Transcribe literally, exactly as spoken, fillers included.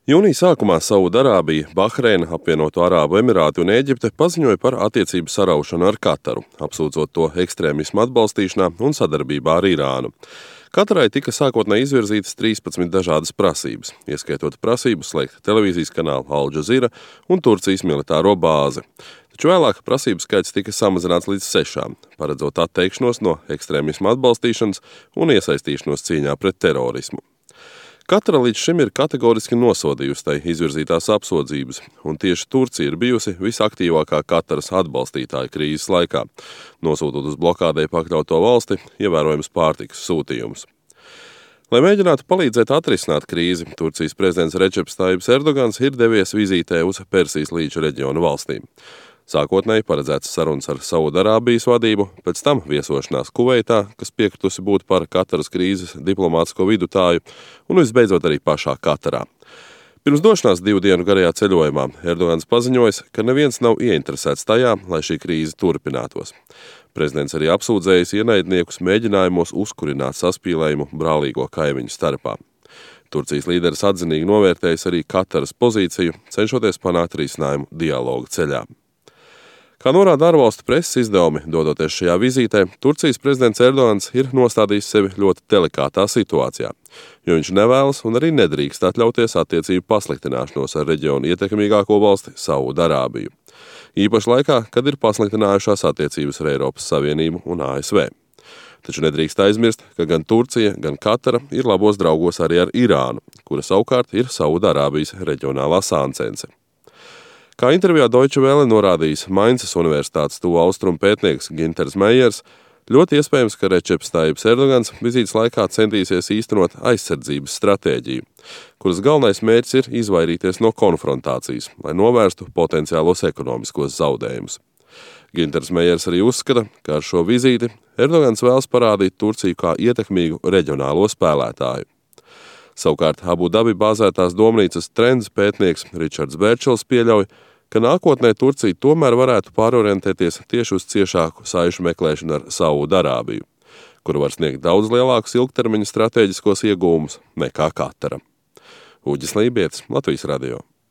Jūnija sākumā Saudarābija, Bahreina, Apvienoto Arābu Emirāti un Ēģipte paziņoja par attiecību saraušanu ar Kataru, apsūdzot to ekstrēmismu atbalstīšanā un sadarbībā ar Irānu. Katarai tika sākotnēji izvirzītas trīspadsmit dažādas prasības, ieskaitot prasību slēgt televīzijas kanālu Al Jazeera un Turcijas militāro bāzi. Taču vēlāk prasību skaits tika samazināts līdz sešām, paredzot atteikšanos no ekstrēmisma atbalstīšanas un iesaistīšanos cīņā pret terorismu. Katara līdz šim ir kategoriski nosodījusi tai izvirzītās apsūdzības, un tieši Turcija ir bijusi visaktīvākā Kataras atbalstītāja krīzes laikā, nosūtot uz blokādei pakļauto valsti ievērojams pārtikas sūtījumus. Lai mēģinātu palīdzēt atrisināt krīzi, Turcijas prezidents Redžeps Tajibs Erdogans ir devies vizītē uz Persijas līča reģiona valstīm. Sākotnēji paredzēts sarunas ar Saudarābijas vadību, pēc tam viesošanās Kuveitā, kas piekritusi būt par Kataras krīzes diplomātisko vidutāju, un visbeidzot arī pašā Katarā. Pirms došanās divu dienu garajā ceļojumā Erdogans paziņojis, ka neviens nav ieinteresēts tajā, lai šī krīze turpinātos. Prezidents arī apsūdzējis ienaidniekus mēģinājumos uzkurināt saspīlējumu brālīgo kaimiņu starpā. Turcijas līderis atzinīgi novērtējis arī Kataras pozīciju, cenšoties panākt risinājumu dialoga ceļā. Kā norāda ārvalstu preses izdevumi, dodoties šajā vizītē, Turcijas prezidents Erdogans ir nostādījis sevi ļoti delikātā situācijā, jo viņš nevēlas un arī nedrīkst atļauties attiecību pasliktināšanos ar reģionu ietekmīgāko valsti Saudarābiju. Īpaši laikā, kad ir pasliktinājušās attiecības ar Eiropas Savienību un A S V. Taču nedrīkst aizmirst, ka gan Turcija, gan Katara ir labos draugos arī ar Irānu, kura savukārt ir Saudarābijas reģionālā sāncence. Kā intervijā Deutsche Welle norādījis Mainzas Universitātes tuvu austrumu pētnieks Ginters Meiers, ļoti iespējams, ka Redžeps Tajibs Erdogans vizītes laikā centīsies īstenot aizsardzības stratēģiju, kuras galvenais mērķis ir izvairīties no konfrontācijas, lai novērstu potenciālos ekonomiskos zaudējumus. Ginters Meiers arī uzskata, ka ar šo vizīti Erdogans vēlas parādīt Turciju kā ietekmīgu reģionālo spēlētāju. Savukārt Abu Dabi bāzētās domnīcas trends pētnieks Ričards Bērčels pieļauj, ka nākotnē Turcija tomēr varētu pārorientēties tieši uz ciešāku saišu meklēšanu ar Saudarābiju, kura var sniegt daudz lielākus ilgtermiņa stratēģiskos iegūmus nekā Katara. Uģis Lībietis, Latvijas radio.